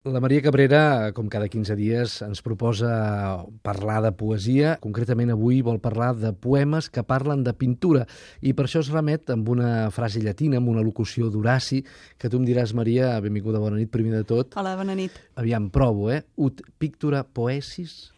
La Maria Cabrera, com cada 15 dies, ens proposa parlar de poesia. Concretament avui vol parlar de poemes que parlen de pintura i per això es remet amb una frase llatina, amb una locució d'Horaci, que tu em diràs, Maria, benvinguda, bona nit, primer de tot. Hola, bona nit. Aviam, provo, Ut pictura poesis?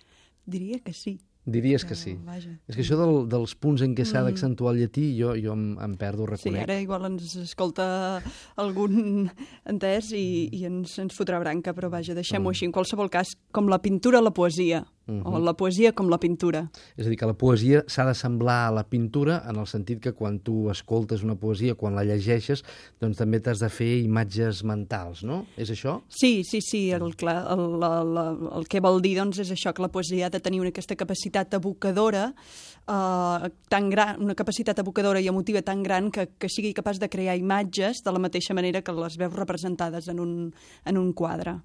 Diria que sí. Diries que sí. Vaja. És que això dels punts en què s'ha d'accentuar el llatí, jo em perdo, ho reconec. Sí, ara igual ens escolta algun entès i ens fotrà branca, però vaja, deixem-ho així. En qualsevol cas, com la pintura, la poesia. O la poesia com la pintura. És a dir, que la poesia s'ha de semblar a la pintura en el sentit que quan tu escoltes una poesia, quan la llegeixes, doncs també t'has de fer imatges mentals, no? És això? Sí. El que vol dir doncs, és això, que la poesia ha de tenir aquesta capacitat evocadora tan gran, una capacitat evocadora i emotiva tan gran que sigui capaç de crear imatges de la mateixa manera que les veus representades en un quadre.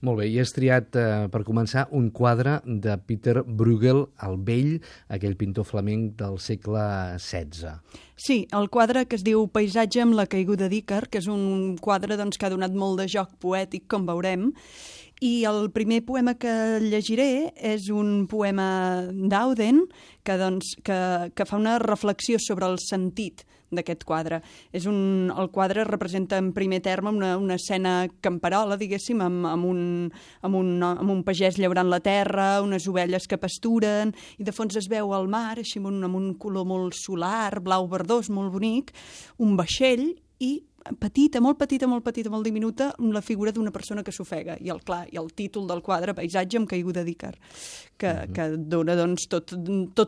Molt bé, i has triat, per començar, un quadre de Peter Bruegel el Vell, aquell pintor flamenc del segle XVI. Sí, el quadre que es diu Paisatge amb la caiguda d'Ícar, que és un quadre doncs, que ha donat molt de joc poètic, com veurem, i el primer poema que llegiré és un poema d'Auden que fa una reflexió sobre el sentit d'aquest quadre. El quadre representa en primer terme una escena camperola, diguéssim, amb un pagès llaurant la terra, unes ovelles que pasturen, i de fons es veu el mar, així amb un color molt solar, blau verdós, molt bonic, un vaixell i petita, molt diminuta, la figura d'una persona que s'ofega. I el títol del quadre, Paisatge amb caiguda d'Ícar, que dona doncs, tot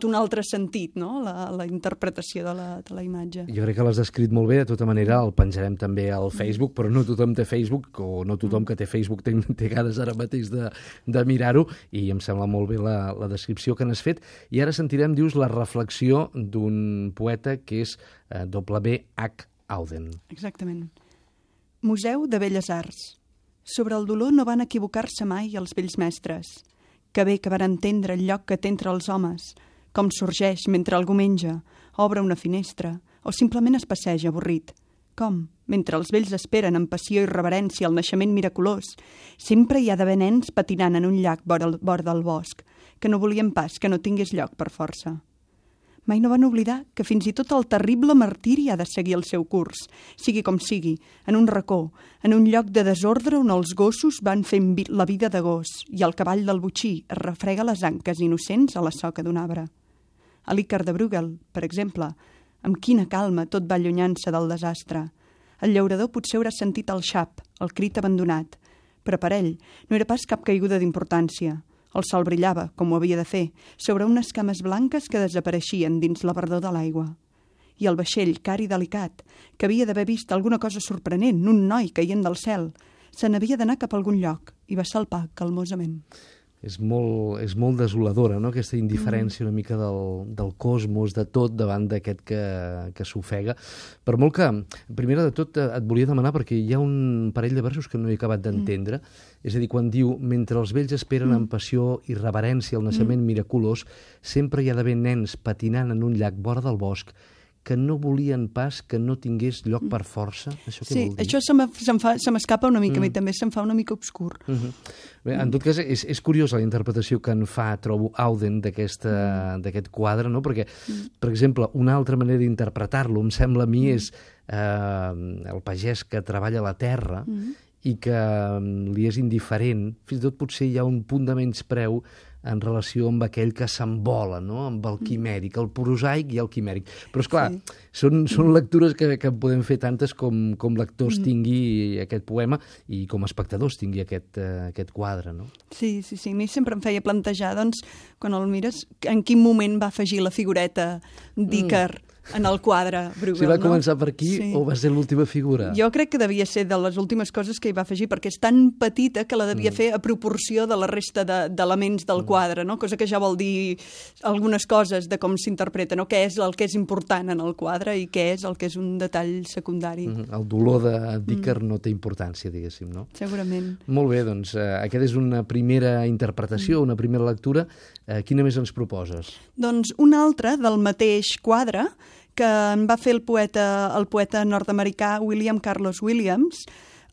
un altre sentit, no? La interpretació de la imatge. Jo crec que l'has descrit molt bé, de tota manera el penjarem també al Facebook, però no tothom té Facebook, o no tothom que té Facebook té ganes ara mateix de mirar-ho, i em sembla molt bé la descripció que n'has fet. I ara sentirem, dius, la reflexió d'un poeta que és W.H. Auden. Exactament. Museu de Belles Arts. Sobre el dolor no van equivocar-se mai els vells mestres. Que bé que van entendre el lloc que té entre els homes, com sorgeix mentre algú menja, obre una finestra, o simplement es passeja avorrit. Com, mentre els vells esperen amb passió i reverència el naixement miraculós, sempre hi ha d'haver nens patinant en un llac vora del bosc, que no volien pas que no tingués lloc per força. Mai no van oblidar que fins i tot el terrible martiri ha de seguir el seu curs, sigui com sigui, en un racó, en un lloc de desordre on els gossos van fent la vida de gos i el cavall del botxí es refrega les anques innocents a la soca d'un arbre. A l'Ícar de Bruegel, per exemple, amb quina calma tot va allunyant-se del desastre. El llaurador potser haurà sentit el xap, el crit abandonat, però per ell no era pas cap caiguda d'importància. El sol brillava, com ho havia de fer, sobre unes cames blanques que desapareixien dins la verdor de l'aigua. I el vaixell, car i delicat, que havia d'haver vist alguna cosa sorprenent, un noi caient del cel, se n'havia d'anar cap a algun lloc i va salpar calmosament. És molt desoladora, no?, aquesta indiferència una mica del cosmos, de tot, davant d'aquest que s'ofega. Per molt que, primera de tot, et volia demanar, perquè hi ha un parell de versos que no he acabat d'entendre, és a dir, quan diu, mentre els vells esperen amb passió i reverència el naixement miraculós, sempre hi ha d'haver nens patinant en un llac vora del bosc que no volien pas que no tingués lloc per força. Això què vol dir? Això se m'escapa una mica, a mi també se'm fa una mica obscur. Bé, en tot cas, és curiosa la interpretació que en fa, trobo, Auden d'aquest quadre, no? Perquè, per exemple, una altra manera d'interpretar-lo, em sembla a mi, és el pagès que treballa la terra i que li és indiferent. Fins i tot potser hi ha un punt de menyspreu en relació amb aquell que s'envola, no?, amb el quimèric, el prosaic i el quimèric. Però, esclar, són lectures que podem fer tantes com lectors tingui aquest poema i com a espectadors tingui aquest quadre, no? Sí, a mi sempre em feia plantejar, doncs, quan el mires, en quin moment va afegir la figureta d'Ícar en el quadre Bruegel, Si va començar per aquí o va ser l'última figura? Jo crec que devia ser de les últimes coses que hi va afegir, perquè és tan petita que la devia fer a proporció de la resta d'elements del quadre, no? Cosa que ja vol dir algunes coses de com s'interpreta, no? Què és el que és important en el quadre i què és el que és un detall secundari. El dolor d'Ícar no té importància, diguéssim, no? Segurament. Molt bé, doncs aquesta és una primera interpretació, una primera lectura. Quina més ens proposes? Doncs una altra del mateix quadre que en va fer el poeta nord-americà William Carlos Williams,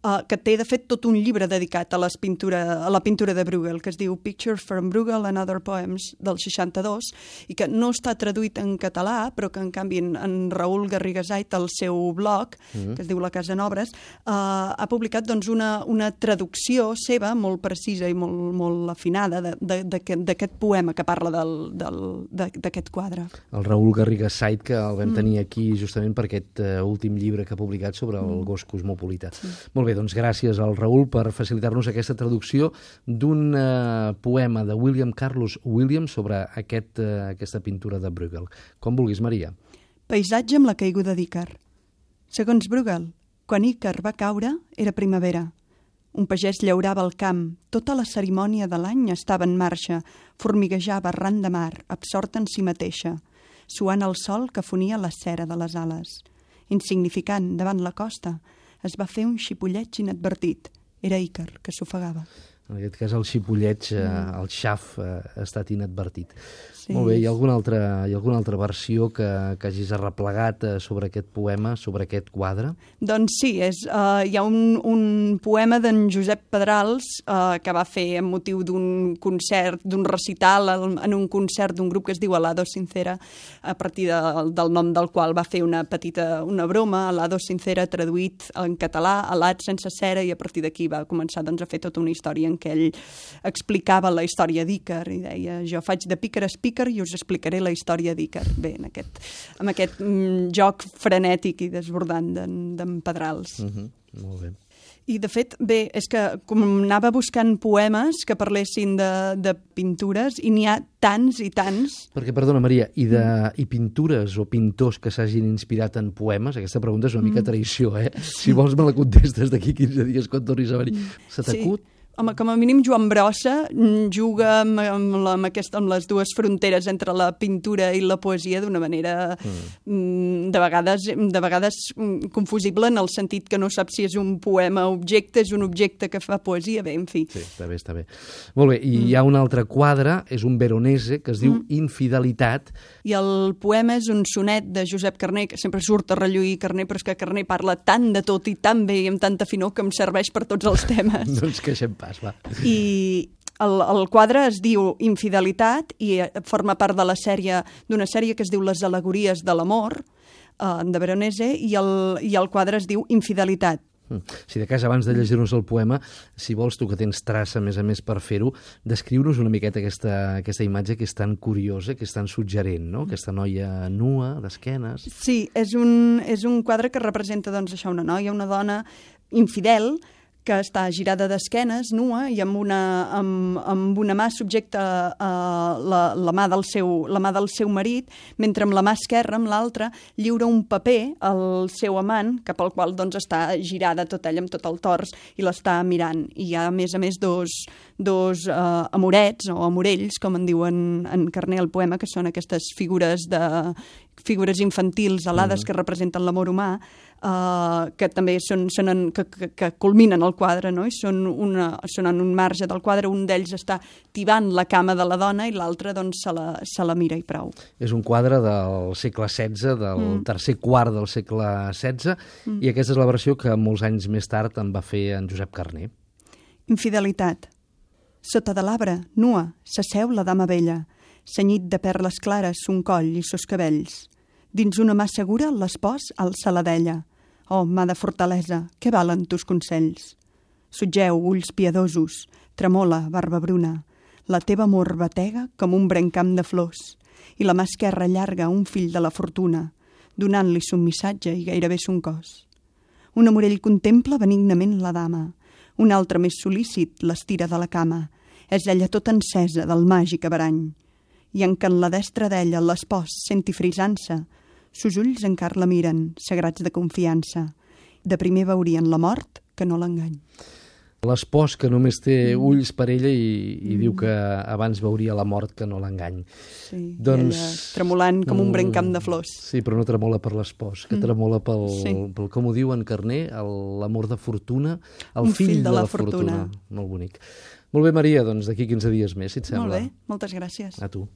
que té, de fet, tot un llibre dedicat a la pintura de Bruegel, que es diu Pictures from Bruegel and Other Poems, del 62, i que no està traduït en català, però que, en canvi, en Raül Garrigasait, al seu blog, que es diu La Casa en Obres, ha publicat doncs, una traducció seva molt precisa i molt afinada d'aquest poema que parla d'aquest quadre. El Raül Garrigasait, que el vam tenir aquí justament per aquest últim llibre que ha publicat sobre el gos cosmopolita. Molt bé, doncs gràcies al Raül per facilitar-nos aquesta traducció d'un poema de William Carlos Williams sobre aquesta pintura de Bruegel. Com vulguis, Maria. Paisatge amb la caiguda d'Ícar. Segons Bruegel, quan Ícar va caure, era primavera. Un pagès llaurava el camp, tota la cerimònia de l'any estava en marxa, formiguejava arran de mar, absorta en si mateixa, suant el sol que fonia la cera de les ales. Insignificant, davant la costa, es va fer un xipolleig inadvertit. Era Ícar, que s'ofegava. En aquest cas, el xipolleig, el xaf, ha estat inadvertit. Sí. Molt bé, hi ha alguna altra versió que hagis arreplegat sobre aquest poema, sobre aquest quadre? Doncs sí, hi ha un poema d'en Josep Pedrals que va fer amb motiu d'un concert, d'un recital en un concert d'un grup que es diu Alado Sincera, a partir del nom del qual va fer una broma, Alado Sincera traduït en català, alat sense cera, i a partir d'aquí va començar doncs, a fer tota una història en què ell explicava la història d'Ícar i deia, jo faig de pícar a speaker i us explicaré la història d'Ícar. Bé, amb aquest joc frenètic i desbordant d'en Pedrals. Molt bé. I, de fet, bé, és que com anava buscant poemes que parlessin de pintures, i n'hi ha tants i tants. Perquè, perdona, Maria, i pintures o pintors que s'hagin inspirat en poemes? Aquesta pregunta és una mica traïció, eh? Si vols me la contestes d'aquí 15 dies quan tornis a venir. Se t'acut? Home, com a mínim Joan Brossa juga amb les dues fronteres entre la pintura i la poesia d'una manera de vegades confusible, en el sentit que no saps si és un poema objecte, és un objecte que fa poesia, bé, en fi. Sí, està bé. Molt bé, i hi ha un altre quadre, és un Veronese, que es diu Infidelitat. I el poema és un sonet de Josep Carner, que sempre surt a relluir Carner, però és que Carner parla tant de tot i tan bé i amb tanta finor que em serveix per tots els temes. Doncs queixem pas, va. I el quadre es diu Infidelitat i forma part de d'una sèrie que es diu Les al·legories de l'amor, de Veronese, i el quadre es diu Infidelitat. Si de cas, abans de llegir-nos el poema, si vols, tu que tens traça, a més per fer-ho, descriu-nos una miqueta aquesta imatge que és tan curiosa, que és tan suggerent, no? Aquesta noia nua, d'esquenes. Sí, és un quadre que representa, doncs, això, una noia, una dona infidel, que està girada d'esquenes, nua, i amb una mà subjecta la mà del seu marit, mentre amb la mà esquerra, amb l'altra, lliura un paper al seu amant, cap al qual doncs, està girada tot ella amb tot el tors i l'està mirant. I hi ha, a més, dos amorets o amorells, com en diuen en Carner al poema, que són aquestes figures infantils alades que representen l'amor humà, que també que culminen el quadre, no? I són en un marge del quadre, un d'ells està tibant la cama de la dona i l'altre doncs, se la mira i prou. És un quadre del segle XVI, del tercer quart del segle XVI, i aquesta és la versió que molts anys més tard en va fer en Josep Carner. Infidelitat. Sota de l'arbre, nua, s'asseu la dama vella, cenyit de perles clares son coll i sos cabells. Dins una mà segura, l'espòs alça la della. Oh, mà de fortalesa, què valen tus consells? Sotgeu, ulls piadosos, tremola, barba bruna. La teva amor batega com un brencam de flors, i la mà esquerra allarga un fill de la fortuna, donant-li son missatge i gairebé son cos. Un amorell contempla benignament la dama, un altre més sol·lícit l'estira de la cama. És ella tota encesa del màgic averany. I en que en la destra d'ella l'espòs senti frisant-se, sus ulls encara la miren, sagrats de confiança. De primer veurien la mort que no l'engany. L'espòs que només té ulls per ella i diu que abans veuria la mort que no l'engany. Sí, doncs, ella tremolant com un brencam de flors. Sí, però no tremola per l'espòs, que tremola pel, com ho diu en Carner, l'amor de fortuna, el fill de la fortuna. Molt bonic. Molt bé, Maria, doncs d'aquí 15 dies més, si et sembla. Molt bé, moltes gràcies. A tu.